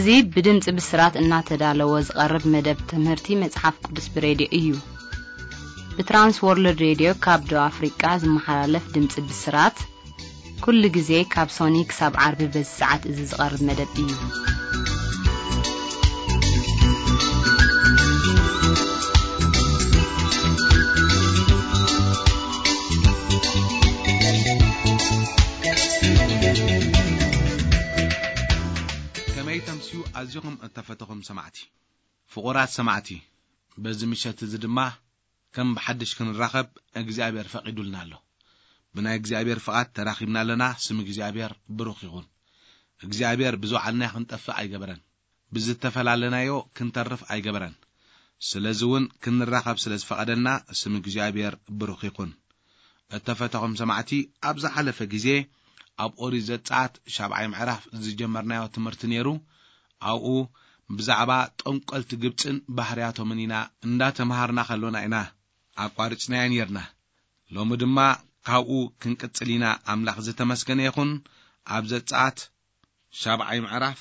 እዚ ብድምጺ ብስራት እናተዳለወ ዝቐርብ መደብ ትምህርቲ መጽሓፍ ቅዱስ ብሬድዮ እዩ። ብትራንስ ወርልድ ሬድዮ ካብ ደቡብ ኣፍሪቃ ዝመሓላለፍ ድምጺ ብስራት፣ ኩሉ ግዜ ካብ ሶኒ ክሳብ ዓርቢ በዚ ሰዓት እዚ ዝቐርብ መደብ እዩ። ከመይ ተምስዩ ኣዚኹም እተፈተኹም ሰማዕቲ። ፍቑራት ሰማዕቲ፣ በዚ ምሸት እዚ ድማ ከም ብሓድሽ ክንራኸብ እግዚኣብሔር ፈቒዱልና ኣሎ። ብናይ እግዚኣብሔር ፍቓድ ተራኺብና ኣለና። ስም እግዚኣብሔር ብሩኽ ይኹን። እግዚኣብሔር ብዝወዓልናዮ ክንጠፍእ ኣይገበረን። ብዝተፈላለናዮ ክንተርፍ ኣይገበረን። ስለዚ እውን ክንራኸብ ስለ ዝፈቐደልና ስም እግዚኣብሔር ብሩኽ ይኹን። እተፈተኹም ሰማዕቲ፣ ኣብ ዝሓለፈ ግዜ ኣብ ኦሪት ዘጸኣት ሻብዓይ ምዕራፍ ዝጀመርናዮ ትምህርቲ ነይሩ። ኣብኡ ብዛዕባ ጠንቆልቲ ግብጽን ባህርያቶምን ኢና እንዳተምሃርና ከሎና ኢና ኣቋሪጽናዮ ነይርና። ሎሚ ድማ ካብኡ ክንቅጽል ኢና። ኣምላኽ ዝተመስገነ ይኹን። ኣብ ዘጸኣት ሻብዓይ ምዕራፍ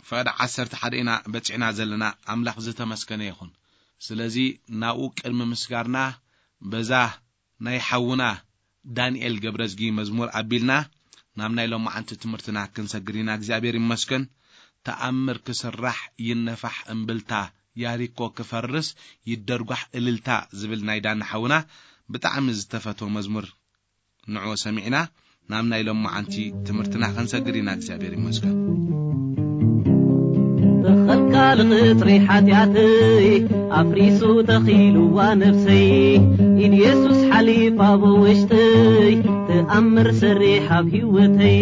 ፈቐድ ዓሰርተ ሓደ ኢና በጺሕና ዘለና። ኣምላኽ ዝተመስገነ ይኹን። ስለዚ ናብኡ ቅድሚ ምስጋርና በዛ ናይ ሓውና ዳንኤል ገብረዝጊ መዝሙር ኣቢልና ናብ ናይ ሎማዓንቲ ትምህርትና ክንሰግር ኢና። እግዚኣብሔር ይመስገን። ተኣምር ክስራሕ ይነፋሕ እምብልታ፣ ያሪኮ ክፈርስ ይደርጓሕ እልልታ ዝብል ናይ ዳኒ ሓውና ብጣዕሚ ዝተፈትወ መዝሙር ንዕኡ ሰሚዕና ናብ ናይ ሎማዓንቲ ትምህርትና ክንሰግር ኢና። እግዚኣብሔር ይመስገን። ተኸልካል ቕጽሪ ሓጢኣተይ ኣፍሪሱ ተኺልዋ ነፍሰይ፣ ኢድ የሱስ ሓሊፋ ብውሽጠይ፣ ተኣምር ሰሪሕ ኣብ ህይወተይ፣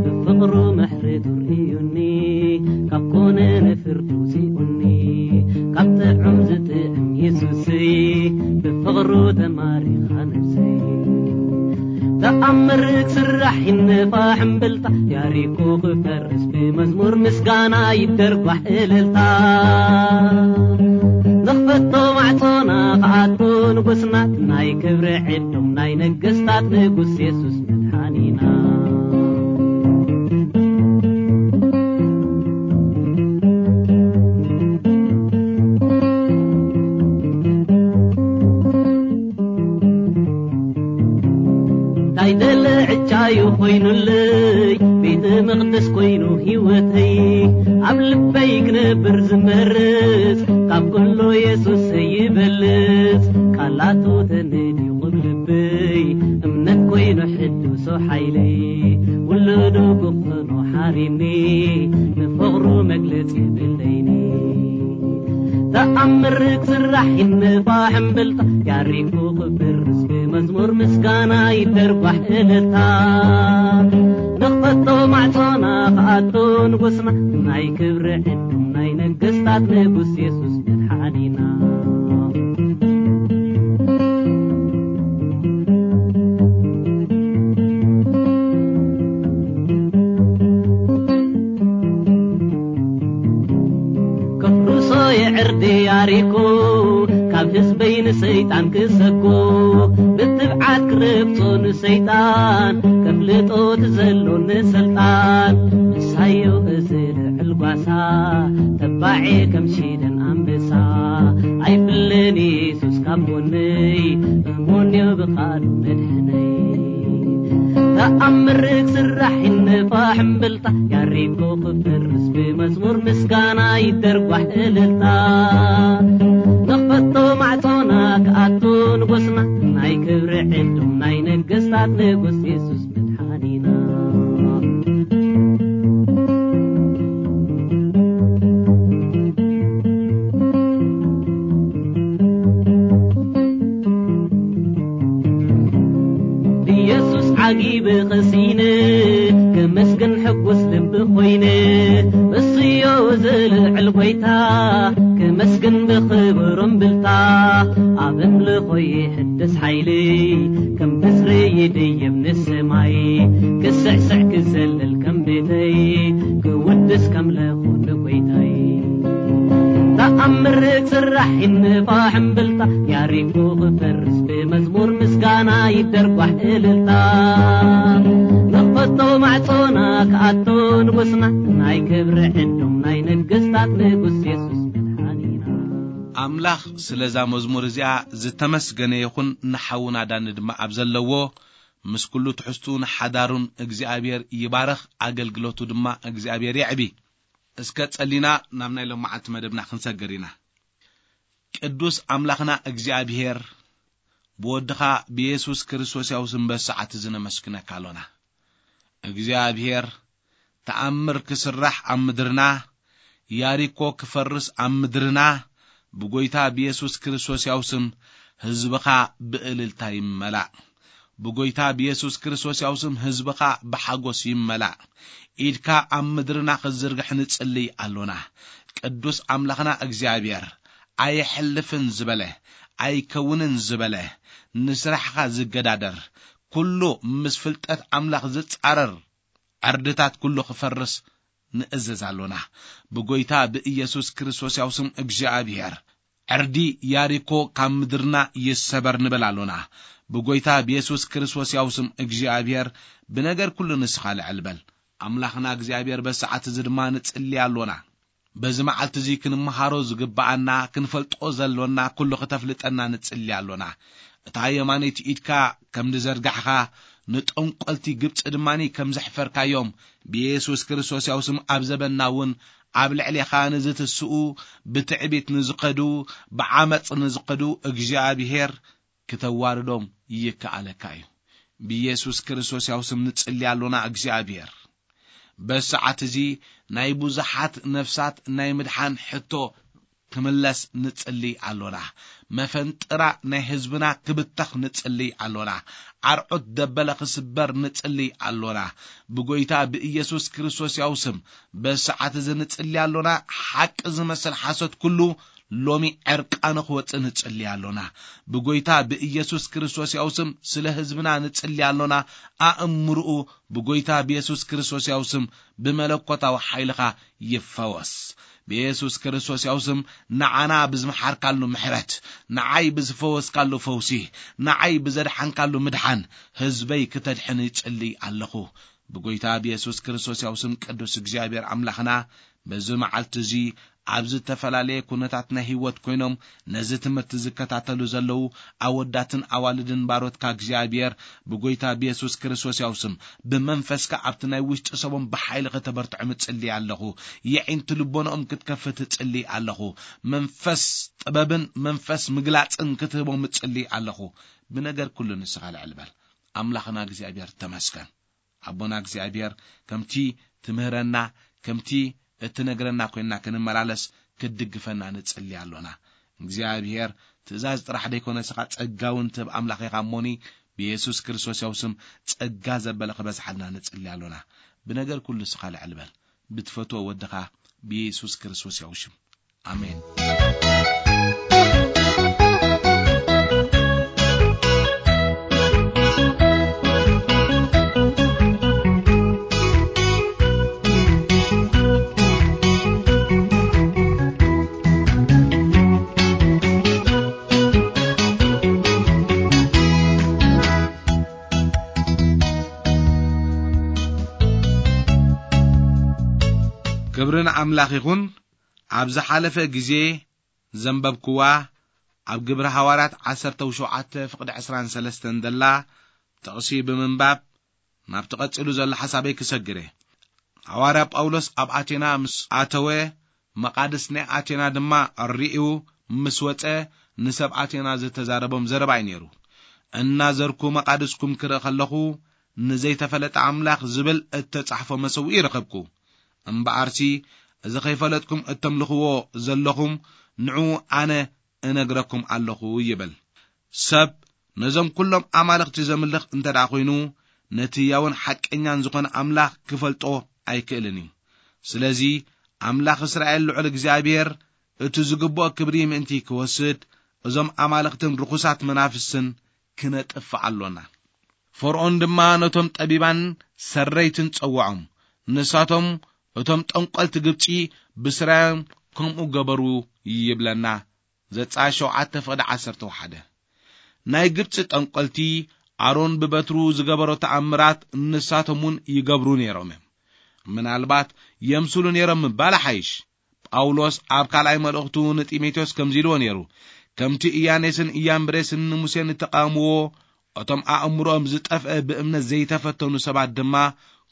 ብፍቕሩ ምሕረቱ ርእዩኒ፣ ካብ ኮነ ንፍርዱ ውፂኡኒ፣ ካብ ጥዑም ዝጥዕም የሱሰይ፣ ብፍቕሩ ተማሪኻ ነፍሰይ። ተኣምር ክስራሕ ይነፋሕ እምብልታ፣ ያሪኮ ክፈርስ ብመዝሙር ምስጋና ይደርጓሕ እልልታ። ንኽፈቶ ማዕጾና ክኣቱ ንጉስና፣ ናይ ክብሪ ዕዶም ናይ ነገስታት ንጉስ የሱስ መድሓኒና። እንታይ ደለ ዕጫዩ ኮይኑለይ፣ ቤተ መቕደስ ኮይኑ ህይወተይ፣ ኣብ ልበይ ክነብር ዝመርጽ፣ ካብ ኩሉ የሱስ ይበልጽ። ቃላቱ ተነዲቑ ልበይ፣ እምነት ኮይኑ ሕዱሶ ሓይለይ፣ ውሉዱ ክኾኖ ሓሪኒ፣ ንፍቕሩ መግለጺ የብለይኒ። ተኣምር ክስራሕ ይነፋሕ እምብልታ፣ ያሪኮ ክፈርስ ብመዝሙር ምስጋና ይደርጓሕ እልልታ። ንኽፈቶ ማዕጾና ክኣቱ ንጉስና፣ ናይ ክብሪ ዕዱም ናይ ነገስታት ንጉስ የሱስ መድሓኒና። ከፍርሶ የዕርዲ ያሪኮ፣ ካብ ህዝበይ ንሰይጣን ክሰጎ፣ ብትብዓት ክረግጾ ንሰይጣን፣ ከፍልጦ ትዘሎ ንስልጣን። ንሳዮ እዚ ልዕል ጓሳ፣ ተባዔ ከም ሽደን ኣንበሳ፣ ኣይፍለን የሱስ ካብ ጎነይ፣ እሙንዮ ብቓሉ መድሕነይ። ተኣምር ክስራሕ ይነፋሕ እምብልታ፣ ያሪኮ ክፈርስ ብመዝሙር ምስጋና ይደርጓሕ እልልታ። ንኽፈቶ ማዕጾና ክኣቱ ንጉስና፣ ናይ ክብሪ ዕዱም ናይ ነገስታት ንጉስ የሱስ መድሓኒና። ብየሱስ ዓጊበ ቐሲነ፣ ከመስግን ሕጉስ ልቢ ኮይነ፣ እሱዮ ዝልዕል ጐይታ፣ ከመስግን ብኽብር እምብልታ፣ ኣብ ኣምልኾ ይሕደስ ሓይለይ፣ ከም ንስሪ ይድይብ ንሰማይ፣ ክስዕስዕ ክዘልል ከም ቤተይ፣ ክውድስ ከምለኹ ንጐይታይ። ተኣምር ክስራሕ ይነፋሕ እምብልታ፣ ያሪኮ ክፈርስ ብመዝሙር ምስጋና ይደርጓሕ እልልታ። ንኽፈቶ ማዕጾና ክኣቱ ንጉስና ናይ ክብሪ ዕዱም ናይ ነገስታት ንጉስ የሱስ መድሓኒና። ኣምላኽ ስለዛ መዝሙር እዚኣ ዝተመስገነ ይኹን። ንሓውና ዳኒ ድማ ኣብ ዘለዎ ምስ ኩሉ ትሕዝቱ ንሓዳሩን እግዚኣብሔር ይባረኽ፣ ኣገልግሎቱ ድማ እግዚኣብሔር የዕቢ። እስከ ጸሊና ናብ ናይ ሎማዓንቲ መደብና ክንሰግር ኢና። ቅዱስ ኣምላኽና እግዚኣብሔር፣ ብወድኻ ብየሱስ ክርስቶስ ያው ስም በሰዓት እዚ ነመስግነካ ኣሎና። እግዚኣብሔር፣ ተኣምር ክስራሕ ኣብ ምድርና፣ ያሪኮ ክፈርስ ኣብ ምድርና፣ ብጎይታ ብየሱስ ክርስቶስ ያው ስም ህዝብኻ ብእልልታ ይመላእ። ብጎይታ ብየሱስ ክርስቶስ ያው ስም ህዝብኻ ብሓጎስ ይመላእ። ኢድካ ኣብ ምድርና ክትዝርግሕ ንጽልይ ኣሎና። ቅዱስ ኣምላኽና እግዚኣብሔር፣ ኣይሕልፍን ዝበለ፣ ኣይከውንን ዝበለ፣ ንስራሕኻ ዝገዳደር፣ ኩሉ ምስ ፍልጠት ኣምላኽ ዝጻረር ዕርድታት ኩሉ ክፈርስ ንእዘዝ ኣሎና። ብጎይታ ብኢየሱስ ክርስቶስ ያው ስም እግዚኣብሔር፣ ዕርዲ ያሪኮ ካብ ምድርና ይሰበር ንበል ኣሎና። ብጎይታ ብየሱስ ክርስቶስ ያው ስም እግዚኣብሔር፣ ብነገር ኩሉ ንስኻ ልዕል በል። ኣምላኽና እግዚኣብሔር፣ በሰዓት እዚ ድማ ንጽሊ ኣሎና። በዚ መዓልቲ እዚ ክንመሃሮ ዝግብኣና፣ ክንፈልጦ ዘሎና ኩሉ ክተፍልጠና ንጽሊ ኣሎና። እታ የማነይቲ ኢድካ ከም ዝዘርጋሕካ፣ ንጠንቆልቲ ግብጺ ድማኒ ከም ዘሕፈርካዮም፣ ብየሱስ ክርስቶስ ያው ስም ኣብ ዘበንና እውን ኣብ ልዕሌኻ ንዝትስኡ፣ ብትዕቢት ንዝኸዱ፣ ብዓመጽ ንዝኸዱ እግዚኣብሔር ክተዋርዶም ይከኣለካ እዩ። ብየሱስ ክርስቶስ ያው ስም ንጽሊ ኣሎና እግዚኣብሔር። በሰዓት እዚ ናይ ብዙሓት ነፍሳት ናይ ምድሓን ሕቶ ክምለስ ንጽሊ ኣሎና። መፈንጥራ ናይ ህዝብና ክብተኽ ንጽሊ ኣሎና። ኣርዑት ደበለ ክስበር ንጽሊ ኣሎና። ብጎይታ ብኢየሱስ ክርስቶስ ያው ስም በሰዓት እዚ ንጽሊ ኣሎና። ሓቂ ዝመስል ሓሶት ኩሉ ሎሚ ዕርቃኑ ክወጽእ ንጽሊ ኣሎና። ብጎይታ ብኢየሱስ ክርስቶስ ያው ስም ስለ ህዝብና ንጽሊ ኣሎና። ኣእምርኡ ብጎይታ ብየሱስ ክርስቶስ ያው ስም ብመለኮታዊ ሓይልኻ ይፈወስ። ብየሱስ ክርስቶስ ያው ስም ንዓና ብዝመሓርካሉ ምሕረት፣ ንዓይ ብዝፈወስካሉ ፈውሲ፣ ንዓይ ብዘድሓንካሉ ምድሓን ህዝበይ ክተድሕን ይጽሊ ኣለኹ። ብጎይታ ብየሱስ ክርስቶስ ያው ስም ቅዱስ እግዚኣብሔር ኣምላኽና፣ በዚ መዓልቲ እዚ ኣብ ዝተፈላለየ ኩነታት ናይ ህይወት ኮይኖም ነዚ ትምህርቲ ዝከታተሉ ዘለዉ ኣወዳትን ኣዋልድን ባሮትካ እግዚኣብሔር፣ ብጎይታ ብየሱስ ክርስቶስ ያው ስም ብመንፈስካ ኣብቲ ናይ ውሽጢ ሰቦም ብሓይሊ ከተበርትዖም እጽሊ ኣለኹ። የዒንቲ ልቦናኦም ክትከፍት እጽሊ ኣለኹ። መንፈስ ጥበብን መንፈስ ምግላጽን ክትህቦም እጽሊ ኣለኹ። ብነገር ኩሉ ንስኻ ልዕል በል። ኣምላኽና እግዚኣብሔር ተመስገን። ኣቦና እግዚኣብሔር ከምቲ ትምህረና፣ ከምቲ እትነግረና ኮይንና ክንመላለስ ክትድግፈና ንጽሊ ኣሎና። እግዚኣብሔር ትእዛዝ ጥራሕ ደይኮነ ስኻ ጸጋ እውን ትህብ ኣምላኽ ኢኻ እሞኒ፣ ብየሱስ ክርስቶስ ያው ስም ጸጋ ዘበለ ክበዝሓልና ንጽሊ ኣሎና። ብነገር ኩሉ ስኻ ልዕል በል። ብትፈትዎ ወድኻ ብየሱስ ክርስቶስ ያው ሽም። ኣሜን። ክብሪ ንኣምላኽ ይኹን። ኣብ ዝሓለፈ ግዜ ዘንበብክዋ ኣብ ግብሪ ሃዋርያት ዓሰርተ ሸውዓተ ፍቕዲ ዕስራን ሰለስተን ዘላ ጥቕሲ ብምንባብ ናብቲ ቀጺሉ ዘሎ ሓሳበይ ክሰግር እየ። ሃዋርያ ጳውሎስ ኣብ ኣቴና ምስ ኣተወ፣ መቓድስ ናይ ኣቴና ድማ ርእዩ ምስ ወጸ፣ ንሰብ ኣቴና ዝተዛረቦም ዘረባ እዩ ነይሩ። እናዘርኩ መቓድስኩም ክርኢ ከለኹ፣ ንዘይተፈለጠ ኣምላኽ ዝብል እተጻሕፎ መሰውኢ ረኸብኩ። እምበኣርሲ፣ እዚ ኸይፈለጥኩም እተምልኽዎ ዘለኹም፣ ንዑ ኣነ እነግረኩም ኣለኹ ይብል። ሰብ ነዞም ኩሎም ኣማልኽቲ ዘምልኽ እንተ ደኣ ኾይኑ፣ ነቲ ህያውን ሓቀኛን ዝኾነ ኣምላኽ ክፈልጦ ኣይክእልን እዩ። ስለዚ፣ ኣምላኽ እስራኤል ልዑል እግዚኣብሔር እቲ ዝግብኦ ክብሪ ምእንቲ ክወስድ፣ እዞም ኣማልኽትን ርኹሳት መናፍስትን ክነጥፍእ ኣሎና። ፈርዖን ድማ ነቶም ጠቢባን ሰረይትን ጸውዖም። ንሳቶም እቶም ጠንቆልቲ ግብጺ ብስራዮም ከምኡ ገበሩ ይብለና። ዘጸኣት ሸውዓተ ፍቕዲ ዓሰርተ ሓደ። ናይ ግብጺ ጠንቆልቲ ኣሮን ብበትሩ ዝገበሮ ተኣምራት ንሳቶም እውን ይገብሩ ነይሮም እዮም። ምናልባት የምስሉ ነይሮም ምባል ሓይሽ። ጳውሎስ ኣብ ካልኣይ መልእኽቱ ንጢሞቴዎስ ከምዚ ኢልዎ ነይሩ፣ "ከምቲ እያኔስን እያምብሬስን ንሙሴ ንተቓወምዎ፣ እቶም ኣእምሮኦም ዝጠፍአ ብእምነት ዘይተፈተኑ ሰባት ድማ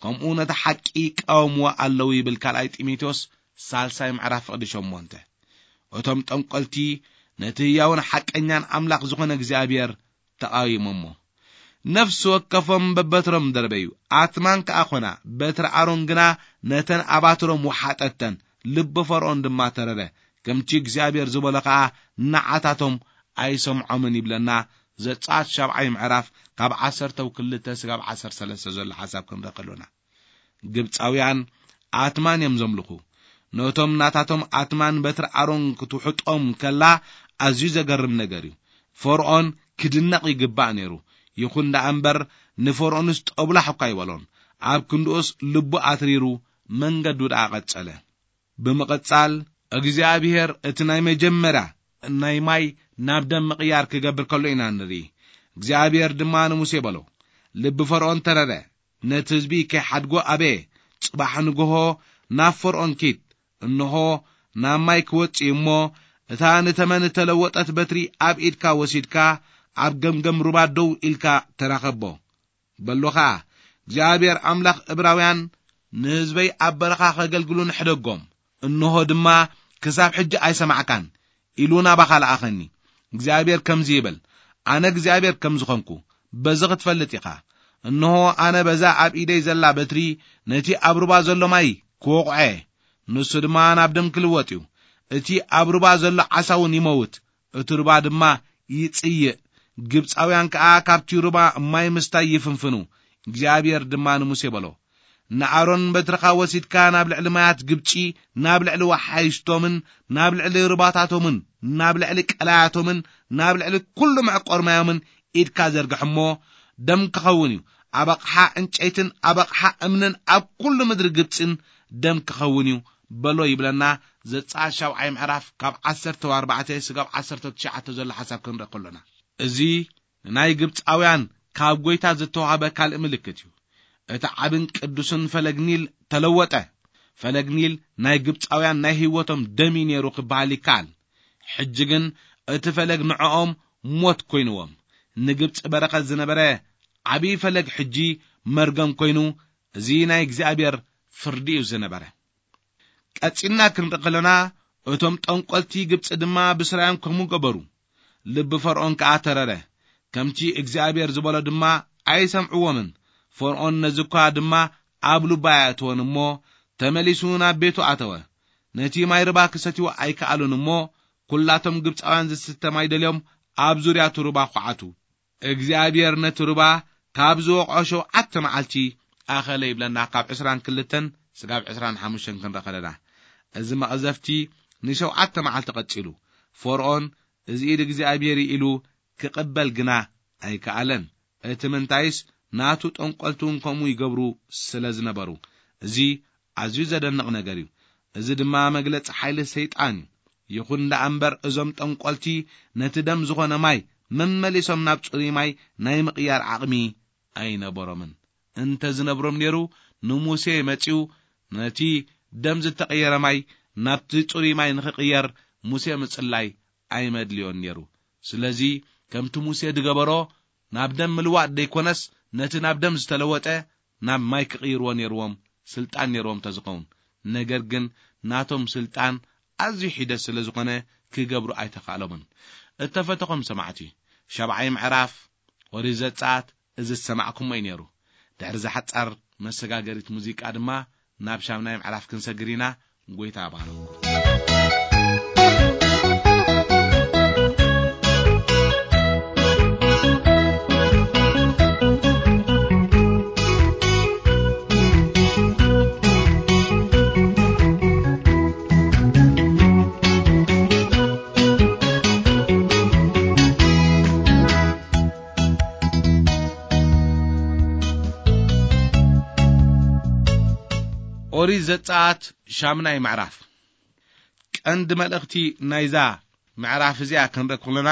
ከምኡ ነቲ ሓቂ ይቃወምዎ ኣለዉ" ይብል ካልኣይ ጢሞቴዎስ ሳልሳይ ምዕራፍ ፍቕዲ ሸሞንተ። እቶም ጠንቆልቲ ነቲ ህያውን ሓቀኛን ኣምላኽ ዝኾነ እግዚኣብሔር ተቓዊሞሞ። ነፍሲ ወከፎም በበትሮም ደርበዩ፣ ኣትማን ከኣ ኾና፣ በትሪ ኣሮን ግና ነተን ኣባትሮም ወሓጠተን፣ ልቢ ፈርዖን ድማ ተረረ፣ ከምቲ እግዚኣብሔር ዝበሎ ከኣ ንዓታቶም ኣይሰምዖምን ይብለና ዘጸኣት ሻብዓይ ምዕራፍ ካብ ዓሰርተ ክልተ ስጋብ ዓሰርተ ሰለስተ ዘሎ ሓሳብ ክንርኢ ከሎና። ግብጻውያን ኣትማን እዮም ዘምልኹ። ነቶም ናታቶም ኣትማን በትሪ ኣሮን ክትውሕጦም ከላ ኣዝዩ ዘገርም ነገር እዩ። ፈርዖን ክድነቕ ይግባእ ነይሩ። ይኹን ደኣ እምበር ንፈርዖንስ ጦብላሕ እኳ ኣይበሎን። ኣብ ክንድኡስ ልቡ ኣትሪሩ መንገዱ ደኣ ቀጸለ። ብምቕጻል እግዚኣብሔር እቲ ናይ መጀመርያ ናይ ማይ ናብ ደም ምቕያር ክገብር ከሎ ኢና ንርኢ። እግዚኣብሔር ድማ ንሙሴ በሎ፣ "ልቢ ፈርዖን ተረረ፣ ነቲ ህዝቢ ከይሓድጎ ኣበየ። ጽባሕ ንግሆ ናብ ፈርዖን ኪድ፣ እንሆ ናብ ማይ ክወጽእ እዩ እሞ፣ እታ ንተመን እተለወጠት በትሪ ኣብ ኢድካ ወሲድካ ኣብ ገምገም ሩባ ደው ኢልካ ተራኸቦ። በሎ ኸኣ፣ እግዚኣብሔር ኣምላኽ እብራውያን ንህዝበይ ኣብ በረኻ ከገልግሉ ንሕደጎም፣ እንሆ ድማ ክሳብ ሕጂ ኣይሰማዕካን ኢሉ ናባኻ ለኣኸኒ። እግዚኣብሔር ከምዚ ይብል፣ ኣነ እግዚኣብሔር ከም ዝኾንኩ በዚ ክትፈልጥ ኢኻ። እንሆ ኣነ በዛ ኣብ ኢደይ ዘላ በትሪ ነቲ ኣብ ሩባ ዘሎ ማይ ክወቕዖ እየ፣ ንሱ ድማ ናብ ደም ክልወጥ እዩ። እቲ ኣብ ሩባ ዘሎ ዓሳ እውን ይመውት፣ እቲ ሩባ ድማ ይጽይእ። ግብጻውያን ከኣ ካብቲ ሩባ ማይ ምስታይ ይፍንፍኑ። እግዚኣብሔር ድማ ንሙሴ በሎ፣ ንኣሮን በትርኻ ወሲድካ ናብ ልዕሊ ማያት ግብጺ፣ ናብ ልዕሊ ወሓይሽቶምን ናብ ልዕሊ ሩባታቶምን ናብ ልዕሊ ቀላያቶምን ናብ ልዕሊ ኩሉ መዕቆር ማዮምን ኢድካ ዘርግሕ እሞ፣ ደም ክኸውን እዩ። ኣብ ኣቕሓ ዕንጨይትን ኣብ ኣቕሓ እምንን ኣብ ኩሉ ምድሪ ግብጽን ደም ክኸውን እዩ በሎ ይብለና ዘጸኣት ሻብዓይ ምዕራፍ ካብ ዓሰርተ ኣርባዕተ ስጋብ ዓሰርተ ትሽዓተ ዘሎ ሓሳብ ክንርኢ ከሎና፣ እዚ ንናይ ግብጻውያን ካብ ጐይታ ዝተዋህበ ካልእ ምልክት እዩ። እቲ ዓብን ቅዱስን ፈለግ ኒል ተለወጠ። ፈለግ ኒል ናይ ግብጻውያን ናይ ህይወቶም ደም እዩ ነይሩ ክበሃል ይከኣል። ሕጂ ግን እቲ ፈለግ ንዕኦም ሞት ኮይንዎም። ንግብጺ በረኸት ዝነበረ ዓብዪ ፈለግ ሕጂ መርገም ኮይኑ፣ እዚ ናይ እግዚኣብሔር ፍርዲ እዩ ዝነበረ። ቀጺልና ክንርኢ ከለና፣ እቶም ጠንቆልቲ ግብጺ ድማ ብስራዮም ከምኡ ገበሩ። ልቢ ፈርዖን ከኣ ተረረ። ከምቲ እግዚኣብሔር ዝበሎ ድማ ኣይሰምዕዎምን። ፈርዖን ነዚ እኳ ድማ ኣብ ልቡ ኣየእተወን እሞ፣ ተመሊሱ ናብ ቤቱ ኣተወ። ነቲ ማይ ርባ ክሰትይዎ ኣይከኣሉን እሞ፣ ኩላቶም ግብጻውያን ዝስተ ማይ ደልዮም ኣብ ዙርያ እቲ ሩባ ኳዓቱ። እግዚኣብሔር ነቲ ሩባ ካብ ዝወቕዖ ሸውዓተ መዓልቲ ኣኸለ ይብለና፣ ካብ ዕስራን ክልተን ስጋብ ዕስራን ሓሙሽተን ክንርኢ ከለና። እዚ መቕዘፍቲ ንሸውዓተ መዓልቲ ቀጺሉ። ፈርዖን እዚ ኢድ እግዚኣብሔር እዩ ኢሉ ክቕበል ግና ኣይከኣለን። እቲ ምንታይስ ናቱ ጠንቆልቲ እውን ከምኡ ይገብሩ ስለ ዝነበሩ። እዚ ኣዝዩ ዘደንቕ ነገር እዩ። እዚ ድማ መግለጺ ሓይሊ ሰይጣን እዩ። ይኹን ደኣ እምበር እዞም ጠንቆልቲ ነቲ ደም ዝኾነ ማይ መመሊሶም ናብ ጽሩይ ማይ ናይ ምቕያር ዓቕሚ ኣይነበሮምን። እንተ ዝነብሮም ነይሩ ንሙሴ መጺኡ ነቲ ደም ዝተቐየረ ማይ ናብቲ ጽሩይ ማይ ንኽቕየር ሙሴ ምጽላይ ኣይመድልዮን ነይሩ። ስለዚ ከምቲ ሙሴ ዝገበሮ ናብ ደም ምልዋጥ ደይኮነስ ነቲ ናብ ደም ዝተለወጠ ናብ ማይ ክቕይርዎ ነይርዎም፣ ስልጣን ነይርዎም ተዝኸውን። ነገር ግን ናቶም ስልጣን ኣዝዩ ሒደት ስለ ዝኾነ ክገብሩ ኣይተኻእሎምን። እተፈተኹም ሰማዕቲ፣ ሻብዓይ ምዕራፍ ኦሪት ዘጸኣት እዚ ዝሰማዕኩሞ እዩ ነይሩ። ድሕሪ እዛ ሓጻር መሰጋገሪት ሙዚቃ ድማ ናብ ሻምናይ ምዕራፍ ክንሰግር ኢና። ጎይታ ይባርኽኩም። ኦሪት ዘጸኣት ሻምናይ ምዕራፍ። ቀንዲ መልእኽቲ ናይዛ ምዕራፍ እዚኣ ክንርኢ ከለና፣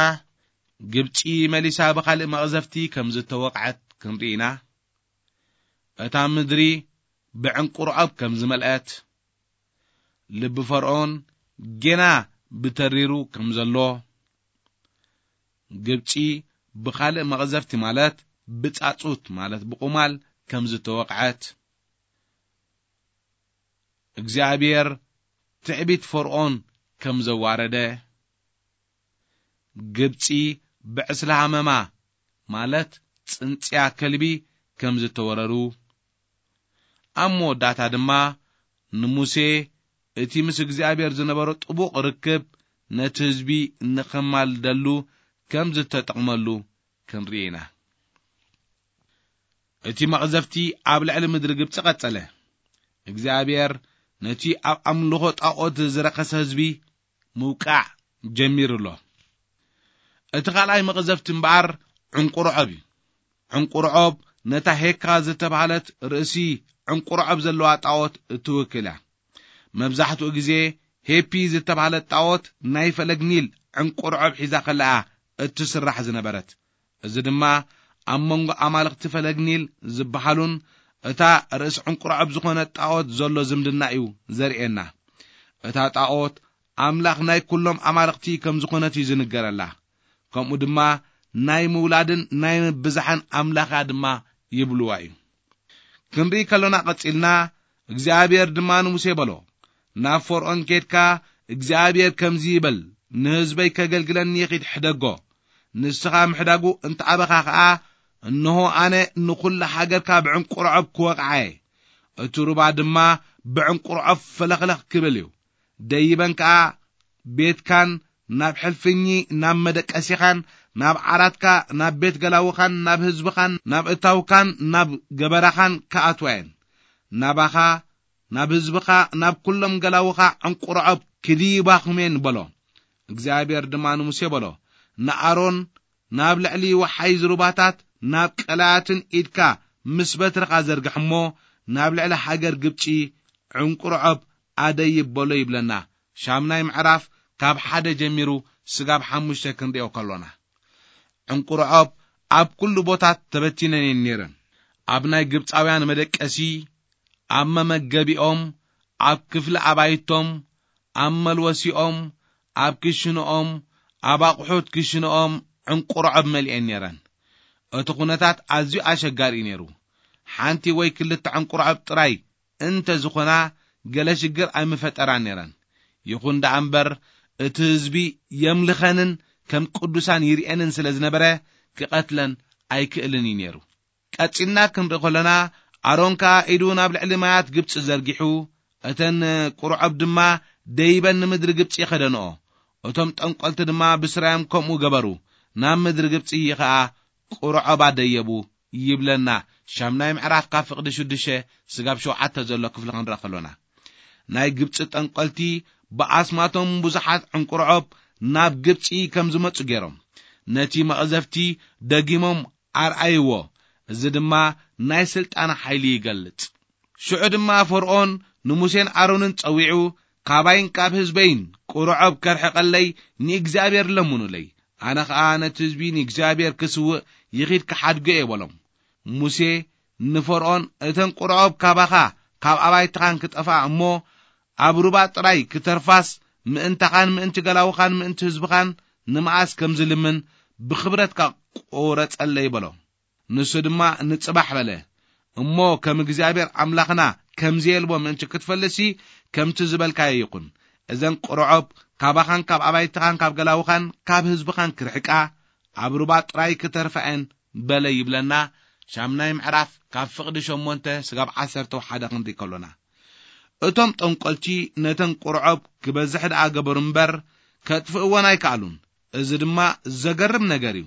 ግብጺ መሊሳ ብኻልእ መቕዘፍቲ ከም ዝተወቕዐት ክንርኢ ኢና። እታ ምድሪ ብዕንቁርዖብ ከም ዝመልአት፣ ልቢ ፈርዖን ጌና ብተሪሩ ከም ዘሎ፣ ግብጺ ብኻልእ መቕዘፍቲ ማለት ብጻጹት ማለት ብቑማል ከም ዝተወቕዐት፣ እግዚኣብሔር ትዕቢት ፈርዖን ከም ዘዋረደ፣ ግብጺ ብዕስለ ሃመማ ማለት ጽንጽያ ከልቢ ከም ዝተወረሩ፣ ኣብ መወዳእታ ድማ ንሙሴ እቲ ምስ እግዚኣብሔር ዝነበሮ ጥቡቕ ርክብ ነቲ ህዝቢ ንኸማልደሉ ከም ዝተጠቕመሉ ክንርኢ ኢና። እቲ መቕዘፍቲ ኣብ ልዕሊ ምድሪ ግብጺ ቀጸለ። እግዚኣብሔር ነቲ ኣብ ኣምልኾ ጣዖት ዝረኸሰ ህዝቢ ምውቃዕ ጀሚሩ ኣሎ። እቲ ካልኣይ መቕዘፍቲ እምበኣር ዕንቁርዖብ እዩ። ዕንቁርዖብ ነታ ሄካ ዝተባህለት ርእሲ ዕንቁርዖብ ዘለዋ ጣዖት እትውክል እያ። መብዛሕትኡ ግዜ ሄፒ ዝተባህለት ጣዖት ናይ ፈለግ ኒል ዕንቁርዖብ ሒዛ ከለኣ እትስራሕ ዝነበረት። እዚ ድማ ኣብ መንጎ ኣማልኽቲ ፈለግ ኒል ዝበሃሉን እታ ርእሲ ዕንቁርዖብ ዝኾነት ጣዖት ዘሎ ዝምድና እዩ ዘርእየና። እታ ጣዖት ኣምላኽ ናይ ኩሎም ኣማልኽቲ ከም ዝኾነት እዩ ዝንገረላ። ከምኡ ድማ ናይ ምውላድን ናይ ምብዛሕን ኣምላኻ ድማ ይብልዋ እዩ። ክንርኢ ከሎና ቀጺልና፣ እግዚኣብሔር ድማ ንሙሴ በሎ፣ ናብ ፈርዖን ኬድካ፣ እግዚኣብሔር ከምዚ ይበል፣ ንህዝበይ ከገልግለኒ ኺድ ሕደጎ። ንስኻ ምሕዳጉ እንተኣበኻ ኸኣ፣ እንሆ ኣነ ንኹላ ሃገርካ ብዕንቁርዖብ ክወቕዓ እየ። እቲ ሩባ ድማ ብዕንቁርዖብ ፈለኽለኽ ክብል እዩ። ደይበን ከኣ ቤትካን ናብ ሕልፍኚ፣ ናብ መደቀሲኻን፣ ናብ ዓራትካ፣ ናብ ቤት ገላውኻን፣ ናብ ህዝብኻን፣ ናብ እታውካን፣ ናብ ገበራኻን ክኣትዋ እየን። ናባኻ፣ ናብ ህዝብኻ፣ ናብ ኩሎም ገላውኻ ዕንቁርዖብ ክድይባኹም እየን በሎ። እግዚኣብሔር ድማ ንሙሴ በሎ፣ ንኣሮን ናብ ልዕሊ ወሓይዝ ሩባታት፣ ናብ ቀላያትን ኢድካ ምስ በትርኻ ዘርግሕ እሞ፣ ናብ ልዕሊ ሃገር ግብጺ ዕንቁርዖብ ኣደይብ በሎ ይብለና። ሻምናይ ምዕራፍ ካብ ሓደ ጀሚሩ ስጋብ ሓሙሽተ ክንሪኦ ከሎና፣ ዕንቁርዖብ ኣብ ኩሉ ቦታት ተበቲነን እየን ነይረን። ኣብ ናይ ግብጻውያን መደቀሲ፣ ኣብ መመገቢኦም፣ ኣብ ክፍሊ ኣባይቶም፣ ኣብ መልወሲኦም፣ ኣብ ክሽንኦም፣ ኣብ ኣቑሑት ክሽንኦም ዕንቁርዖብ መሊኤን ነይረን። እቲ ኩነታት ኣዝዩ ኣሸጋሪ እዩ ነይሩ። ሓንቲ ወይ ክልተ ዕንቁርዖብ ጥራይ እንተ ዝኾና፣ ገለ ሽግር ኣይምፈጠራን ነይረን። ይኹን ደኣ እምበር፣ እቲ ህዝቢ የምልኸንን ከም ቅዱሳን ይርእየንን ስለ ዝነበረ፣ ክቐትለን ኣይክእልን እዩ ነይሩ። ቀጺልና ክንርኢ ከለና፣ ኣሮን ከኣ ኢዱ ናብ ልዕሊ ማያት ግብጺ ዘርጊሑ፣ እተን ቁርዖብ ድማ ደይበን ንምድሪ ግብጺ ከደንኦ። እቶም ጠንቆልቲ ድማ ብስራዮም ከምኡ ገበሩ፣ ናብ ምድሪ ግብጺ ኸኣ ቁርዖብ ኣደየቡ ይብለና። ሻምናይ ምዕራፍ ካብ ፍቕዲ ሽዱሽተ ስጋብ ሸውዓተ ዘሎ ክፍሊ ክንርኢ ከሎና፣ ናይ ግብጺ ጠንቆልቲ ብኣስማቶም ብዙሓት ዕንቁርዖብ ናብ ግብጺ ከም ዝመጹ ገይሮም ነቲ መቕዘፍቲ ደጊሞም ኣርኣይዎ። እዚ ድማ ናይ ስልጣን ሓይሊ ይገልጽ። ሽዑ ድማ ፈርዖን ንሙሴን ኣሮንን ጸዊዑ፣ "ካባይን ካብ ህዝበይን ቁርዖብ ከርሕቐለይ ንእግዚኣብሔር ለምኑለይ፣ ኣነ ኸኣ ነቲ ህዝቢ ንእግዚኣብሔር ክስውእ ይኺድ ክሓድጎ እየ" በሎም። ሙሴ ንፈርዖን፣ "እተን ቁርዖብ ካባኻ ካብ ኣባይትኻን ክጠፍኣ እሞ፣ ኣብ ሩባ ጥራይ ክተርፋስ፣ ምእንታኻን ምእንቲ ገላውኻን ምእንቲ ህዝብኻን ንመኣስ ከም ዝልምን ብኽብረትካ ቁረጸለይ" በሎ። ንሱ ድማ፣ "ንጽባሕ" በለ። እሞ ከም እግዚኣብሔር ኣምላኽና ከም ዘየልቦ ምእንቲ ክትፈልጥሲ፣ ከምቲ ዝበልካዮ ይኹን። እዘን ቁርዖብ ካባኻን ካብ ኣባይትኻን ካብ ገላውኻን ካብ ህዝብኻን ክርሕቃ፣ ኣብ ሩባ ጥራይ ክተርፋ እየን በለ ይብለና። ሻምናይ ምዕራፍ ካብ ፍቕዲ ሸሞንተ ስጋብ ዓሰርተ ሓደ ክንርኢ ከሎና፣ እቶም ጠንቆልቲ ነተን ቁርዖብ ክበዝሕ ደኣ ገበሩ እምበር፣ ከጥፍእወን ኣይከኣሉን። እዚ ድማ ዘገርም ነገር እዩ።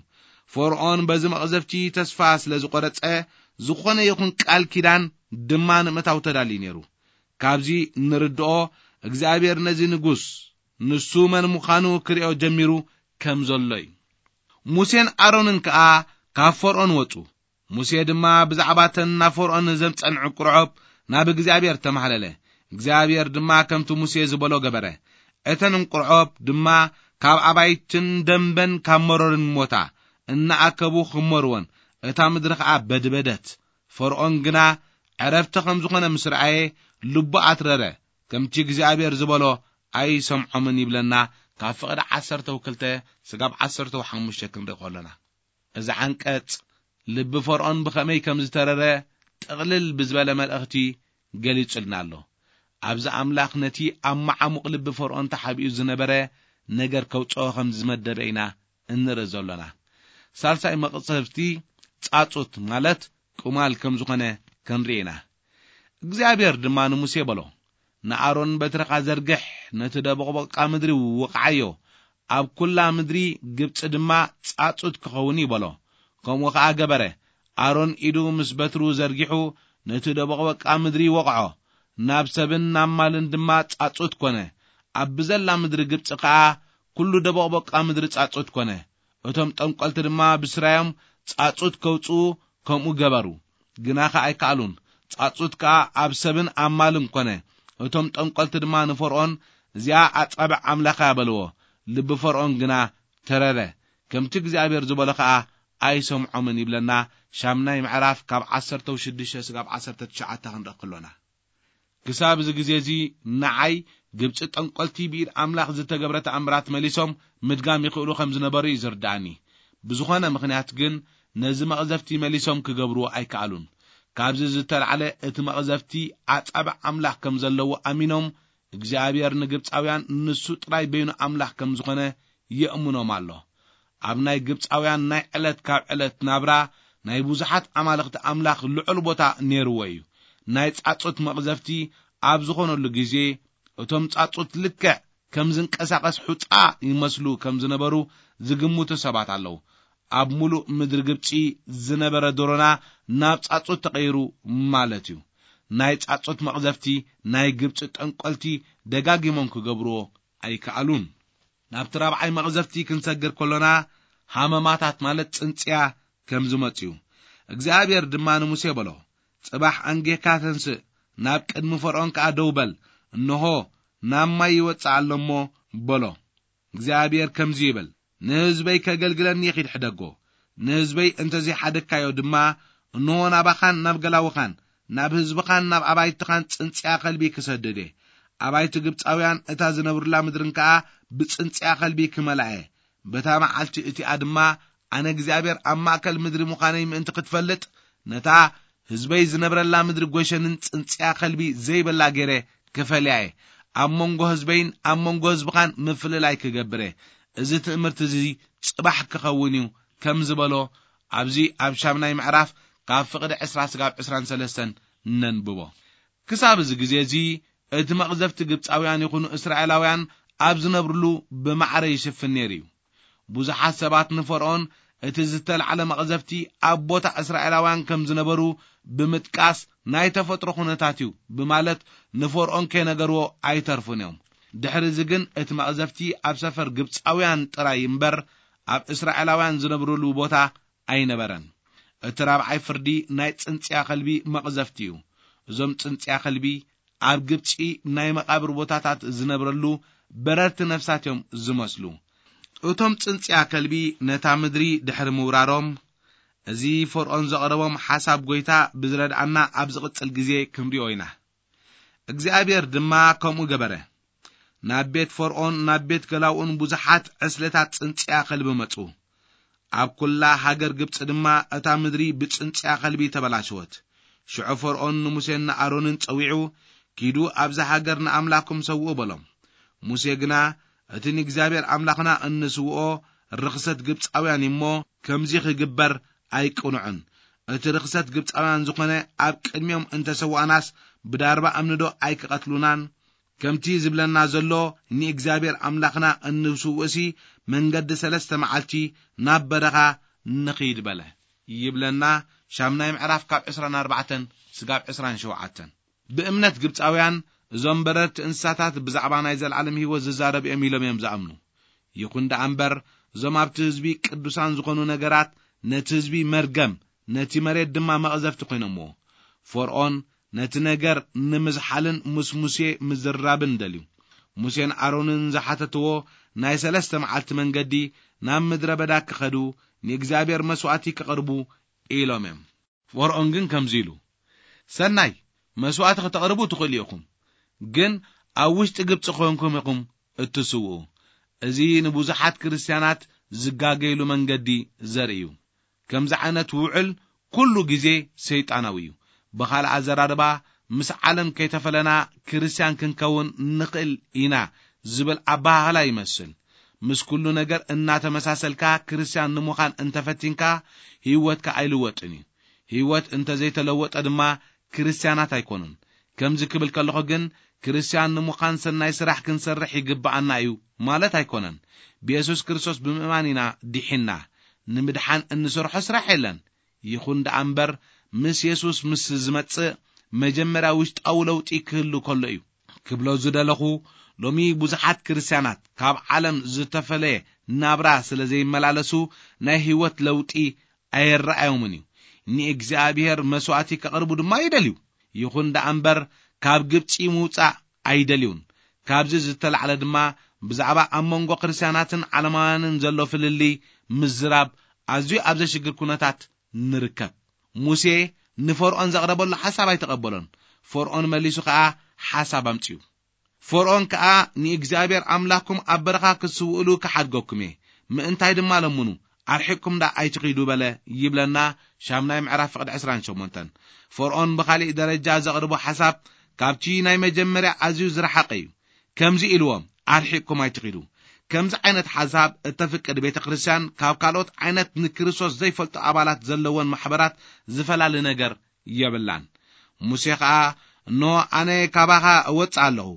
ፈርዖን በዚ መቕዘፍቲ ተስፋ ስለ ዝቖረጸ፣ ዝኾነ ይኹን ቃል ኪዳን ድማ ንምእታው ተዳልዩ ነይሩ። ካብዚ ንርድኦ፣ እግዚኣብሔር ነዚ ንጉስ፣ ንሱ መን ምዃኑ ክርእዮ ጀሚሩ ከም ዘሎ እዩ። ሙሴን ኣሮንን ከኣ ካብ ፈርዖን ወጹ። ሙሴ ድማ ብዛዕባ እተን ናብ ፈርዖን ዘምጸን ዕንቁርዖብ ናብ እግዚኣብሔር ተማህለለ። እግዚኣብሔር ድማ ከምቲ ሙሴ ዝበሎ ገበረ። እተን ዕንቁርዖብ ድማ ካብ ኣባይትን ደንበን ካብ መሮርን ሞታ፣ እናኣከቡ ክመርወን፣ እታ ምድሪ ኸኣ በድበደት። ፈርዖን ግና ዕረፍቲ ከም ዝኾነ ምስ ረኣየ፣ ልቡ ኣትረረ። ከምቲ እግዚኣብሔር ዝበሎ ኣይሰምዖምን ይብለና። ካብ ፍቕዲ ዓሰርተ ክልተ ስጋብ ዓሰርተ ሓሙሽተ ክንርኢ ከለና፣ እዚ ዓንቀጽ ልቢ ፈርዖን ብኸመይ ከም ዝተረረ ጥቕልል ብዝበለ መልእኽቲ ገሊጹልና ኣሎ። ኣብዚ ኣምላኽ ነቲ ኣብ መዓሙቕ ልቢ ፈርዖን ተሓቢኡ ዝነበረ ነገር ከውጽኦ ከም ዝመደበ ኢና እንርኢ ዘሎና። ሳልሳይ መቕሰፍቲ ጻጹት ማለት ቁማል ከም ዝኾነ ክንርኢ ኢና። እግዚኣብሔር ድማ ንሙሴ በሎ፣ "ንኣሮን በትርኻ ዘርግሕ፣ ነቲ ደቦቕቦቃ ምድሪ ውቕዓዮ፣ ኣብ ኩላ ምድሪ ግብጺ ድማ ጻጹት ክኸውን እዩ" በሎ። ከምኡ ኸኣ ገበረ። ኣሮን ኢዱ ምስ በትሩ ዘርጊሑ ነቲ ደቦቕቦቃ ምድሪ ወቕዖ፣ ናብ ሰብን ናብ ማልን ድማ ጻጹት ኮነ። ኣብ ብዘላ ምድሪ ግብጺ ኸኣ ኩሉ ደቦቕቦቃ ምድሪ ጻጹት ኮነ። እቶም ጠንቆልቲ ድማ ብስራዮም ጻጹት ከውጽኡ ከምኡ ገበሩ፣ ግና ኸኣ ኣይከኣሉን። ጻጹት ከኣ ኣብ ሰብን ኣብ ማልን ኮነ። እቶም ጠንቆልቲ ድማ ንፈርዖን፣ "እዚኣ ኣጻብዕ ኣምላኽ እያ" በልዎ። ልቢ ፈርዖን ግና ተረረ። ከምቲ እግዚኣብሔር ዝበሎ ኸኣ ኣይሰምዖምን ይብለና። ሻምናይ ምዕራፍ ካብ ዓሰርተ ሽዱሽተ ስጋብ ዓሰርተ ትሽዓተ ክንርኢ ከሎና። ክሳብ እዚ ግዜ እዚ ንዓይ ግብጺ ጠንቆልቲ ብኢድ ኣምላኽ ዝተገብረ ተኣምራት መሊሶም ምድጋም ይኽእሉ ከም ዝነበሩ እዩ ዝርድኣኒ። ብዝኾነ ምኽንያት ግን ነዚ መቕዘፍቲ መሊሶም ክገብርዎ ኣይከኣሉን። ካብዚ ዝተላዕለ እቲ መቕዘፍቲ ኣጻብዕ ኣምላኽ ከም ዘለዎ ኣሚኖም እግዚኣብሔር ንግብጻውያን ንሱ ጥራይ በይኑ ኣምላኽ ከም ዝኾነ የእምኖም ኣሎ። ኣብ ናይ ግብጻውያን ናይ ዕለት ካብ ዕለት ናብራ ናይ ብዙሓት ኣማልኽቲ ኣምላኽ ልዑል ቦታ ነይርዎ እዩ። ናይ ጻጹት መቕዘፍቲ ኣብ ዝኾነሉ ግዜ እቶም ጻጹት ልክዕ ከም ዝንቀሳቐስ ሑጻ ይመስሉ ከም ዝነበሩ ዝግምቱ ሰባት ኣለዉ። ኣብ ሙሉእ ምድሪ ግብጺ ዝነበረ ዶሮና ናብ ጻጹት ተቐይሩ ማለት እዩ። ናይ ጻጹት መቕዘፍቲ ናይ ግብጺ ጠንቆልቲ ደጋጊሞም ክገብርዎ ኣይከኣሉን። ናብቲ ራብዓይ መቕዘፍቲ ክንሰግር ከሎና ሃመማታት ማለት ጽንጽያ ከም ዝመጽኡ። እግዚኣብሔር ድማ ንሙሴ በሎ፣ "ጽባሕ ኣንጌካ ተንስእ፣ ናብ ቅድሚ ፈርዖን ከኣ ደው በል፣ እንሆ ናብ ማይ ይወጽእ ኣሎ እሞ" በሎ። እግዚኣብሔር ከምዚ ይብል፣ "ንህዝበይ ከገልግለኒ ኺድ ሕደጎ። ንህዝበይ እንተ ዘይሓደግካዮ ድማ፣ እንሆ ናባኻን ናብ ገላውኻን፣ ናብ ህዝብኻን ናብ ኣባይትኻን ጽንጽያ ከልቢ ክሰድድ እየ። ኣባይቲ ግብጻውያን እታ ዝነብሩላ ምድርን ከኣ ብጽንጽያ ከልቢ ክመልኣ እየ። በታ መዓልቲ እቲኣ ድማ ኣነ እግዚኣብሔር ኣብ ማእከል ምድሪ ምዃነይ ምእንቲ ክትፈልጥ፣ ነታ ህዝበይ ዝነብረላ ምድሪ ጐሸንን ጽንጽያ ከልቢ ዘይብላ ገይረ ክፈልያ እየ። ኣብ መንጎ ህዝበይን ኣብ መንጎ ህዝብኻን ምፍልላይ ክገብር እየ። እዚ ትእምርቲ እዚ ጽባሕ ክኸውን እዩ" ከም ዝበሎ ኣብዚ ኣብ ሻምናይ ምዕራፍ ካብ ፍቕዲ ዕስራ ስጋብ ዕስራን ሰለስተን ነንብቦ። ክሳብ እዚ ግዜ እዚ እቲ መቕዘፍቲ ግብጻውያን ይኹኑ እስራኤላውያን ኣብ ዝነብርሉ ብማዕረ ይሽፍን ነይሩ እዩ። ብዙሓት ሰባት ንፈርዖን እቲ ዝተላዕለ መቕዘፍቲ ኣብ ቦታ እስራኤላውያን ከም ዝነበሩ ብምጥቃስ፣ "ናይ ተፈጥሮ ኩነታት እዩ" ብማለት ንፈርዖን ከይነገርዎ ኣይተርፉን እዮም። ድሕሪ እዚ ግን እቲ መቕዘፍቲ ኣብ ሰፈር ግብጻውያን ጥራይ እምበር ኣብ እስራኤላውያን ዝነብርሉ ቦታ ኣይነበረን። እቲ ራብዓይ ፍርዲ ናይ ጽንጽያ ከልቢ መቕዘፍቲ እዩ። እዞም ጽንጽያ ከልቢ ኣብ ግብጺ ናይ መቓብር ቦታታት ዝነብረሉ በረርቲ ነፍሳት እዮም ዝመስሉ። እቶም ጽንጽያ ከልቢ ነታ ምድሪ ድሕሪ ምውራሮም፣ እዚ ፈርዖን ዘቕረቦም ሓሳብ ጐይታ ብዝረድኣና ኣብ ዝቕጽል ግዜ ክንሪኦ ኢና። እግዚኣብሔር ድማ ከምኡ ገበረ። ናብ ቤት ፈርዖን፣ ናብ ቤት ገላውኡን ብዙሓት ዕስለታት ጽንጽያ ከልቢ መጹ። ኣብ ኩላ ሃገር ግብጺ ድማ እታ ምድሪ ብጽንጽያ ከልቢ ተበላሸወት። ሽዑ ፈርዖን ንሙሴን ንኣሮንን ጸዊዑ፣ "ኪዱ ኣብዛ ሃገር ንኣምላኽኩም ሰውኡ" በሎም። ሙሴ ግና፣ "እቲ ንእግዚኣብሔር ኣምላኽና እንስውኦ ርኽሰት ግብጻውያን እዩ እሞ፣ ከምዚ ክግበር ኣይቅኑዕን። እቲ ርኽሰት ግብጻውያን ዝኾነ ኣብ ቅድሚኦም እንተሰዋእናስ ብዳርባ እምኒ ዶ ኣይክቐትሉናን?" ከምቲ ዝብለና ዘሎ ንእግዚኣብሔር ኣምላኽና እንስውእሲ መንገዲ ሰለስተ መዓልቲ ናብ በረኻ ንኺድ በለ ይብለና። ሻምናይ ምዕራፍ ካብ ዕስራን ኣርባዕተን ስጋብ ዕስራን ሸውዓተን። ብእምነት ግብጻውያን እዞም በረርቲ እንስሳታት ብዛዕባ ናይ ዘለዓለም ህይወት ዝዛረብ እዮም ኢሎም እዮም ዝኣምኑ። ይኹን ደኣ እምበር እዞም ኣብቲ ህዝቢ ቅዱሳን ዝኾኑ ነገራት ነቲ ህዝቢ መርገም፣ ነቲ መሬት ድማ መቕዘፍቲ ኮይኖምዎ። ፈርዖን ነቲ ነገር ንምዝሓልን ምስ ሙሴ ምዝራብን ደልዩ። ሙሴን ኣሮንን ዝሓተትዎ ናይ ሰለስተ መዓልቲ መንገዲ ናብ ምድረ በዳ ክኸዱ ንእግዚኣብሔር መስዋእቲ ክቕርቡ ኢሎም እዮም። ፈርዖን ግን ከምዚ ኢሉ፣ ሰናይ፣ መስዋእቲ ክተቕርቡ ትኽእሉ ኢኹም፣ ግን ኣብ ውሽጢ ግብጺ ኮይንኩም ኢኹም እትስውኡ። እዚ ንብዙሓት ክርስትያናት ዝጋገይሉ መንገዲ ዘርኢ እዩ። ከምዚ ዓይነት ውዕል ኩሉ ግዜ ሰይጣናዊ እዩ። ብኻልእ ኣዘራርባ፣ ምስ ዓለም ከይተፈለና ክርስትያን ክንከውን ንኽእል ኢና ዝብል ኣበሃህላ ይመስል። ምስ ኩሉ ነገር እናተመሳሰልካ ክርስትያን ንምዃን እንተፈቲንካ፣ ህይወትካ ኣይልወጥን እዩ። ህይወት እንተ ዘይተለወጠ ድማ ክርስትያናት ኣይኮኑን። ከምዚ ክብል ከለኹ ግን፣ ክርስትያን ንምዃን ሰናይ ስራሕ ክንሰርሕ ይግብኣና እዩ ማለት ኣይኮነን። ብየሱስ ክርስቶስ ብምእማን ኢና ድሒንና። ንምድሓን እንሰርሖ ስራሕ የለን። ይኹን ደኣ እምበር፣ ምስ የሱስ ምስ ዝመጽእ፣ መጀመርያ ውሽጣዊ ለውጢ ክህሉ ከሎ እዩ። ክብሎ ዝደለኹ፣ ሎሚ ብዙሓት ክርስትያናት ካብ ዓለም ዝተፈለየ ናብራ ስለ ዘይመላለሱ፣ ናይ ህይወት ለውጢ ኣየረኣዮምን እዩ። ንእግዚኣብሔር መስዋእቲ ከቕርቡ ድማ ይደልዩ። ይኹን ደኣ እምበር፣ ካብ ግብጺ ምውጻእ ኣይደልዩን። ካብዚ ዝተላዕለ ድማ፣ ብዛዕባ ኣብ መንጎ ክርስትያናትን ዓለማውያንን ዘሎ ፍልልይ ምዝራብ ኣዝዩ ኣብ ዘሽግር ኩነታት ንርከብ። ሙሴ ንፈርዖን ዘቕረበሉ ሓሳብ ኣይተቐበሎን። ፈርዖን መሊሱ ኸኣ ሓሳብ ኣምጺኡ። ፈርዖን ከኣ፣ "ንእግዚኣብሔር ኣምላኽኩም ኣብ በረኻ ክትስውእሉ ክሓድገኩም እየ፣ ምእንታይ ድማ ለምኑ፣ ኣርሒቕኩም ደኣ ኣይትኺዱ" በለ ይብለና። ሻምናይ ምዕራፍ ፍቕዲ ዕስራን ሸሞንተን። ፈርዖን ብኻሊእ ደረጃ ዘቕርቦ ሓሳብ ካብቲ ናይ መጀመርያ ኣዝዩ ዝረሓቐ እዩ። ከምዚ ኢልዎም፣ "ኣርሒቕኩም ኣይትኺዱ።" ከምዚ ዓይነት ሓሳብ እተፍቅድ ቤተ ክርስቲያን ካብ ካልኦት ዓይነት ንክርስቶስ ዘይፈልጡ ኣባላት ዘለወን ማሕበራት ዝፈላለ ነገር የብላን። ሙሴ ኸኣ፣ "እንሆ፣ ኣነ ካባኻ እወጽእ ኣለኹ፣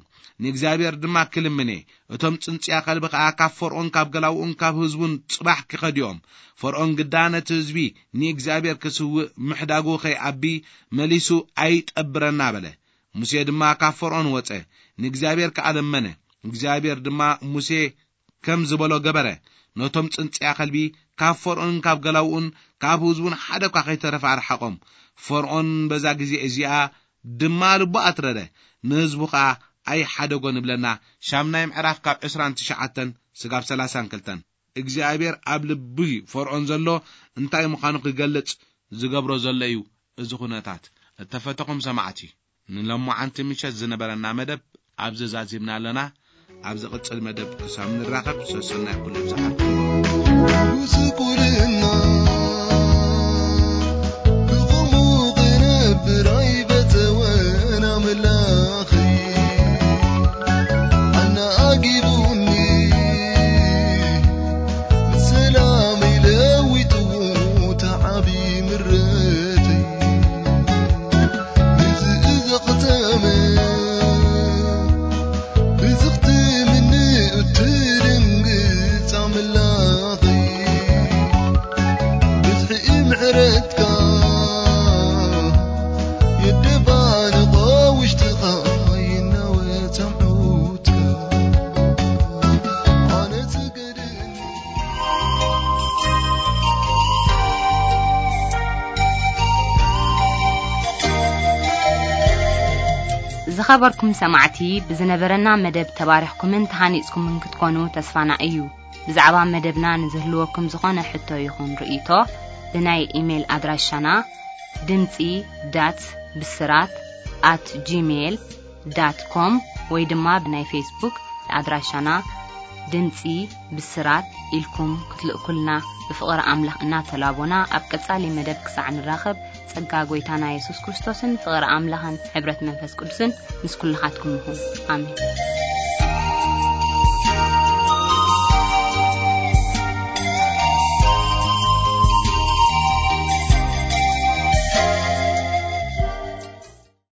ንእግዚኣብሔር ድማ ክልምን እየ። እቶም ጽንጽያ ከልቢ ኸኣ ካብ ፈርዖን፣ ካብ ገላውኡን ካብ ህዝቡን ጽባሕ ክኸዱ እዮም። ፈርዖን ግዳ ነቲ ህዝቢ ንእግዚኣብሔር ክስውእ ምሕዳጉ ኸይኣቢ መሊሱ ኣይጠብረና" በለ። ሙሴ ድማ ካብ ፈርዖን ወጸ፣ ንእግዚኣብሔር ከኣ ለመነ። እግዚኣብሔር ድማ ሙሴ ከም ዝበሎ ገበረ። ነቶም ጽንጽያ ከልቢ ካብ ፈርዖንን ካብ ገላውኡን ካብ ህዝቡን ሓደ እኳ ከይተረፈ ኣርሓቖም። ፈርዖን በዛ ግዜ እዚኣ ድማ ልቡ ኣትረረ፣ ንህዝቡ ኸኣ ኣይሓደጎን ይብለና። ሻምናይ ምዕራፍ ካብ ዕስራን ትሽዓተን ስጋብ ሰላሳን ክልተን። እግዚኣብሔር ኣብ ልቢ ፈርዖን ዘሎ እንታይ ምዃኑ ክገልጽ ዝገብሮ ዘሎ እዩ። እዚ ኩነታት፣ እተፈተኹም ሰማዕቲ፣ ንሎማዓንቲ ምሸት ዝነበረና መደብ ኣብዚ ዛዚምና ኣለና። ኣብ ዝቕጽል መደብ ክሳብ ንራኸብ፣ ሰሰናይ ኩሉ ይብዝሓልኩም። ስቁልና ብቑሙ ክነብር ኣይበተወን ኣምላኺ። ኣነ ኣጊቡኒ ሰላም ይለዊጥዎ ተዓቢ ምረተይ። እዚ ዘኽተመ ብዝኽትምኒ እትድንግጽ ኣምላኺ። ብዝሒ ምሕረትካ የደባንቖ ውሽጥኻ ይናወጽ ኣምዑትካ። ኣነ ትገድኒ። ዝኸበርኩም ሰማዕቲ፣ ብዝነበረና መደብ ተባሪኽኩምን ተሃኒጽኩምን ክትኮኑ ተስፋና እዩ። ብዛዕባ መደብና ንዝህልወኩም ዝኾነ ሕቶ ይኹን ርእይቶ፣ ብናይ ኢሜይል ኣድራሻና ድምጺ ዳት ብስራት ኣት ጂሜይል ዳት ኮም ወይ ድማ ብናይ ፌስቡክ ኣድራሻና ድምጺ ብስራት ኢልኩም ክትልእኩልና ብፍቕሪ ኣምላኽ እናተላቦና፣ ኣብ ቀጻሊ መደብ ክሳዕ ንራኸብ፣ ጸጋ ጐይታና የሱስ ክርስቶስን ፍቕሪ ኣምላኽን ሕብረት መንፈስ ቅዱስን ምስ ኩልኻትኩም ይኹን። ኣሜን።